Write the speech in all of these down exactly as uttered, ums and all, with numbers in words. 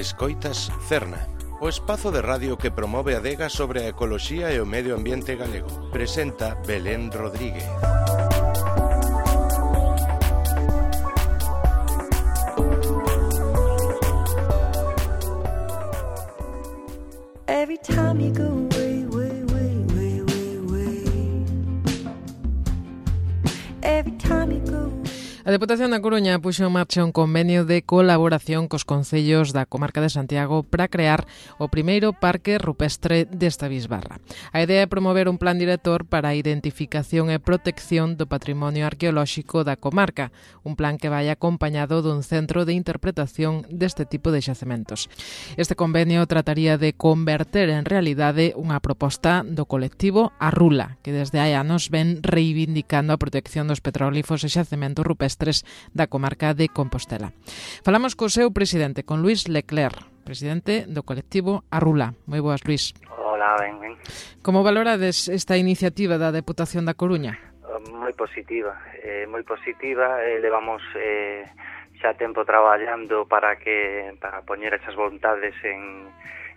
Escoitas Cerna, o espazo de radio que promove a adega sobre a ecoloxía e o medio ambiente galego. Presenta Belén Rodríguez. Every time you go away, way, way, way, way, way. Every time you go. A Deputación da Coruña puxo en marcha un convenio de colaboración cos concellos da comarca de Santiago para crear o primeiro parque rupestre desta bisbarra. A idea é promover un plan director para a identificación e protección do patrimonio arqueolóxico da comarca, un plan que vai acompañado dun centro de interpretación deste tipo de xacementos. Este convenio trataría de converter en realidade unha proposta do colectivo Arrula, que desde hai anos ven reivindicando a protección dos petróglifos e xacementos rupestres da comarca de Compostela. Falamos co seu presidente, con Luís Leclerc, presidente do colectivo Arrula. Moi boas, Luís. Hola, ben, ben. Como valorades esta iniciativa da Deputación da Coruña? Moi positiva, eh, moi positiva. Eh, levamos eh, xa tempo traballando para que para poñer esas vontades en,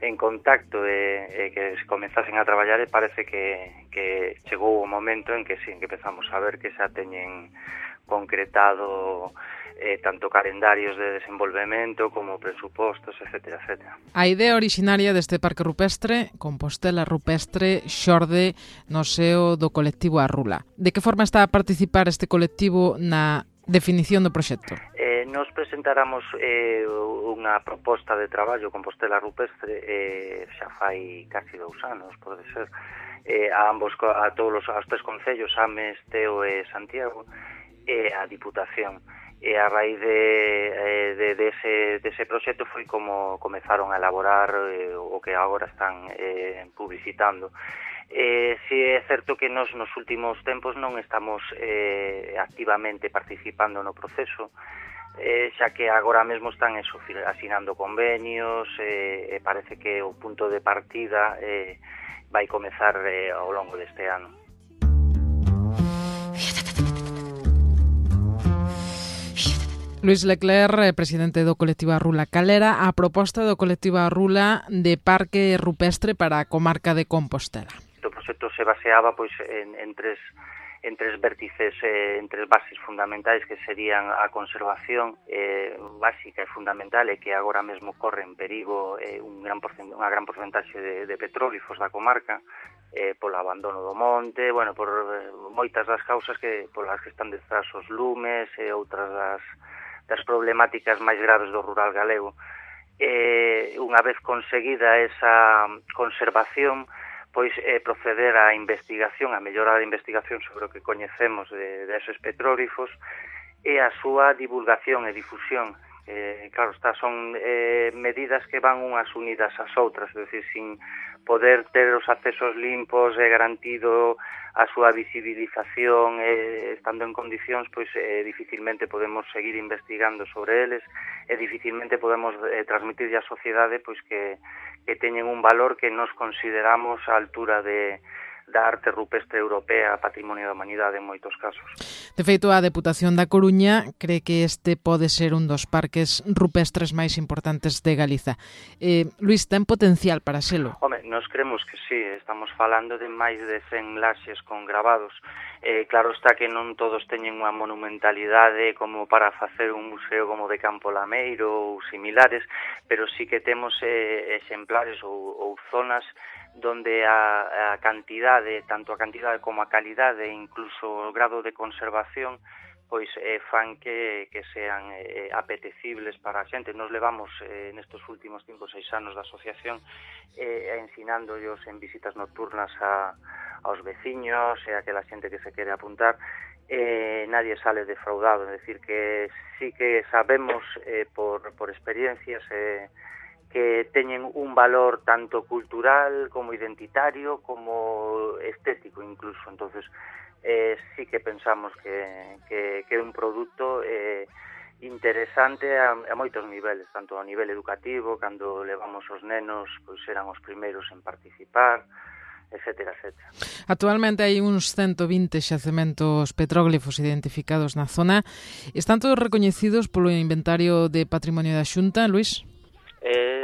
en contacto e, e que se comenzasen a traballar, e parece que, que chegou o momento en que sí, que empezamos a ver que xa teñen concretado eh, tanto calendarios de desenvolvemento como presupostos, etcétera, etcétera. A idea originaria deste parque rupestre, Compostela Rupestre, xorde no seo do colectivo Arrula. De que forma está a participar este colectivo na definición do proxecto? Eh, nos presentáramos eh, unha proposta de traballo Compostela Rupestre eh, xa fai casi dous anos, pode ser, eh, a ambos, a todos os, aos tres concellos, Ames, Teo e Santiago, e a Diputación. E a raíz de, de, de, ese, de ese proxecto foi como comezaron a elaborar eh, o que agora están eh, publicitando. Eh, si é certo que nos nos últimos tempos non estamos eh, activamente participando no proceso, eh, xa que agora mesmo están eso, asinando convenios, eh, e parece que o punto de partida eh, vai comezar eh, ao longo deste ano. Luís Leclerc, presidente do colectivo Arrula. Cal era a proposta do colectivo Arrula de parque rupestre para a comarca de Compostela? O proxecto se baseaba pois en, en tres en tres vértices, eh, en tres bases fundamentais, que serían a conservación eh, básica e fundamental, e que agora mesmo corre en perigo eh, un gran porcent- unha gran porcentaxe de, de petróglifos da comarca, eh, polo abandono do monte, bueno, por eh, moitas das causas que polas que están detrás os lumes e outras das das problemáticas máis graves do rural galego. Eh, unha vez conseguida esa conservación, pois eh, proceder á investigación, a mellorar a investigación sobre o que coñecemos de, de esos petróglifos, e a súa divulgación e difusión. Eh, claro, estas son eh, medidas que van unhas unidas ás outras, é dicir, sin poder ter os accesos limpos e garantido a súa visibilización, eh, estando en condicións, pois eh, dificilmente podemos seguir investigando sobre eles, e dificilmente podemos eh, transmitir á sociedade pois que, que teñen un valor que nos consideramos á altura de da arte rupestre europea, patrimonio da humanidade en moitos casos. De feito, a Deputación da Coruña cree que este pode ser un dos parques rupestres máis importantes de Galiza. Eh, Luís, ten potencial para selo? Home, nos creemos que sí, estamos falando de máis de cen laxes con gravados. Eh, claro está que non todos teñen unha monumentalidade como para facer un museo como de Campo Lameiro ou similares, pero sí que temos eh, exemplares ou, ou zonas donde a, a cantidade, tanto a cantidade como a calidade e incluso o grado de conservación pois eh, fan que, que sean eh, apetecibles para a xente. Nos levamos eh, nestes últimos cinco ou seis anos da asociación eh, ensinándoos en visitas nocturnas a, aos veciños e a aquela xente que se quere apuntar. Eh, nadie sale defraudado, é dicir que sí que sabemos eh, por, por experiencias eh, que teñen un valor tanto cultural como identitario como estético incluso. Entonces eh, sí que pensamos que, que, que é un produto eh, interesante a, a moitos niveles, tanto a nivel educativo, cando levamos os nenos, pois eran os primeiros en participar, etcétera, etcétera. Actualmente hai uns ciento vinte xacementos petróglifos identificados na zona. Están todos recoñecidos polo inventario de patrimonio da Xunta, Luís? Eh,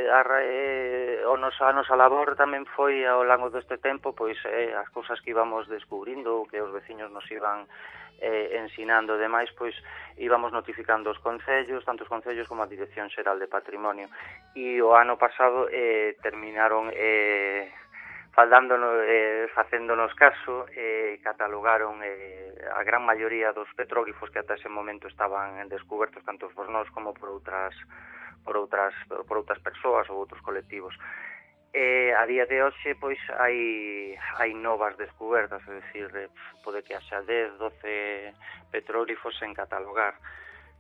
a, eh, o nosa, a nosa labor tamén foi ao longo deste tempo pois eh, as cousas que íbamos descubrindo, que os veciños nos iban eh, ensinando e demais, pois íbamos notificando os concellos, tanto os concellos como a Dirección Xeral de Patrimonio. E o ano pasado eh, terminaron eh, faldándonos, eh, facéndonos caso, eh, catalogaron eh, a gran maioría dos petróglifos que ata ese momento estaban descubertos tanto por nós como por outras por outras por outras persoas ou outros colectivos. Eh, a día de hoxe pois hai hai novas descubertas, é dicir, eh, pode que haxa dez, doce petróglifos en catalogar.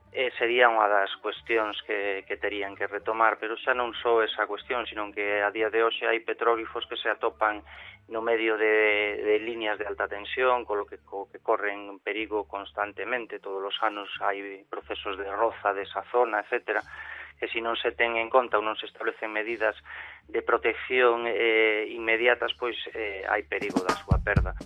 Eh, sería unha das cuestións que, que terían que retomar, pero xa non só esa cuestión, sino que a día de hoxe hai petróglifos que se atopan no medio de, de líneas de alta tensión, con lo que, co, que corren perigo constantemente, todos os anos hai procesos de roza desa zona, etcétera, que se non se ten en conta ou non se establecen medidas de protección eh, inmediatas, pois eh, hai perigo da súa perda.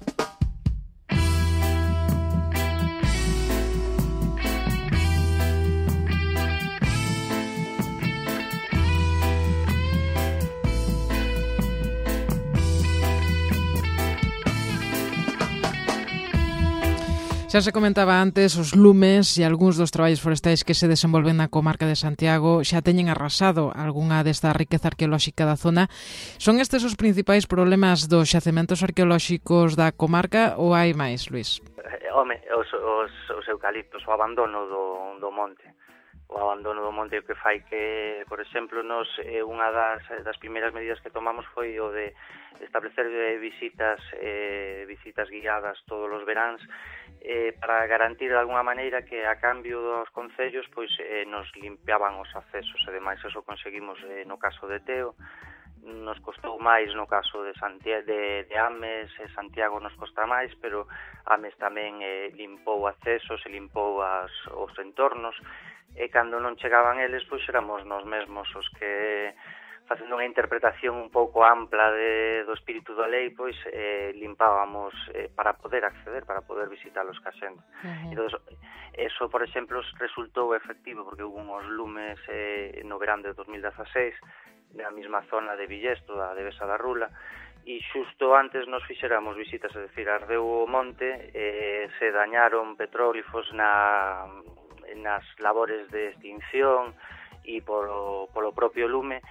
Xa se comentaba antes, os lumes e algúns dos traballos forestais que se desenvolven na comarca de Santiago xa teñen arrasado algunha desta riqueza arqueolóxica da zona. Son estes os principais problemas dos xacementos arqueolóxicos da comarca ou hai máis, Luís? Eh, home, os, os, os eucaliptos, o abandono do, do monte. O abandono do monte o que fai que, por exemplo, nos eh, unha das, das primeiras medidas que tomamos foi o de establecer eh, visitas eh, visitas guiadas todos os veráns eh, para garantir de alguna maneira que a cambio dos concellos pois eh, nos limpiaban os accesos, e demais eso conseguimos eh, no caso de Teo, nos costou máis no caso de Santiago, de, de Ames, e Santiago nos costa máis, pero Ames tamén eh, limpou accesos e limpou as, os entornos, e cando non chegaban eles, pois éramos nós mesmos os que, facendo unha interpretación un pouco ampla de, do espírito da lei, pois eh, limpábamos eh, para poder acceder, para poder visitar os casentes. Uh-huh. Entón, eso, por exemplo, resultou efectivo, porque hubo uns lumes eh, no verán de dos mil dezaseis, na mesma zona de Villesto, da Devesa da Rula, e xusto antes nos fixéramos visitas, é dicir, ardeu o monte, eh, se dañaron petróglifos na... nas labores de extinción e polo, polo propio lume,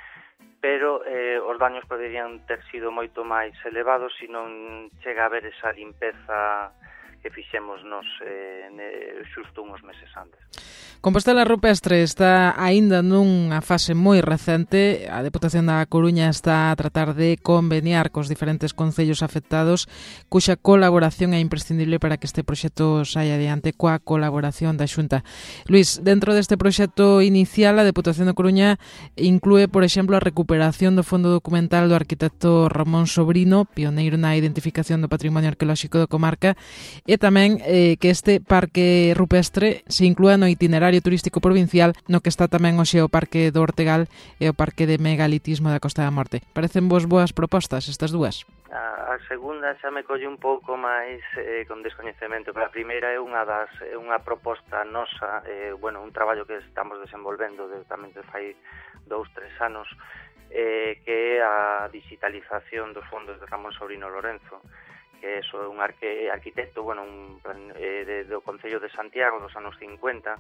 pero eh, os daños poderían ter sido moito máis elevados se non chega a haber esa limpeza que fixemos nos eh, xusto uns meses antes. Compostela Rupestre está aínda nunha fase moi recente. A Deputación da Coruña está a tratar de conveniar cos diferentes concellos afectados, cuxa colaboración é imprescindible para que este proxecto saia adiante coa colaboración da Xunta. Luís, dentro deste proxecto inicial, a Deputación da Coruña inclúe, por exemplo, a recuperación do fondo documental do arquitecto Ramón Sobrino, pioneiro na identificación do patrimonio arqueolóxico da comarca, e tamén eh, que este parque rupestre se inclúa no itinerario turístico provincial, no que está tamén hoxe o Parque do Ortegal e o Parque de Megalitismo da Costa da Morte. Parecen vos boas propostas estas dúas? A, a segunda xa me colle un pouco máis eh, con descoñecemento, pero a primeira é unha das é unha proposta nosa, eh, bueno, un traballo que estamos desenvolvendo de, tamén de fai dous, tres anos, eh, que é a digitalización dos fondos de Ramón Sobrino Lorenzo, que é un arque, arquitecto, bueno, un, eh, de, do Concello de Santiago dos anos cincuenta,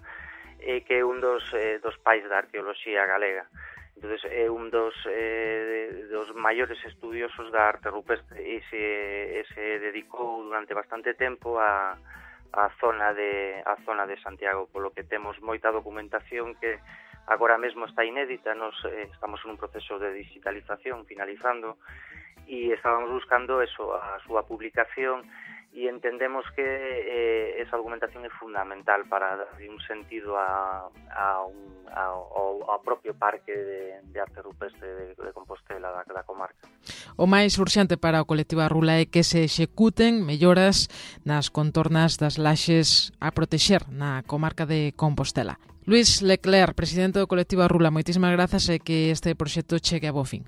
eh, que é un dos, eh, dos pais da arqueoloxía galega. Entón, é un dos, eh, dos maiores estudiosos da arte rupestre e se, e se dedicou durante bastante tempo a, a, zona de, a zona de Santiago, polo que temos moita documentación que agora mesmo está inédita. Nos eh, estamos en un proceso de digitalización finalizando e estábamos buscando eso, a súa publicación, e entendemos que eh, esa argumentación é fundamental para dar un sentido a, a un, a, ao, ao propio parque de, de arte rupestre de, de Compostela, da, da comarca. O máis urxente para o colectivo Arrula é que se executen melloras nas contornas das laxes a protexer na comarca de Compostela. Luís Leclerc, presidente do colectivo Arrula, moitísimas grazas e que este proxecto chegue a bo fin.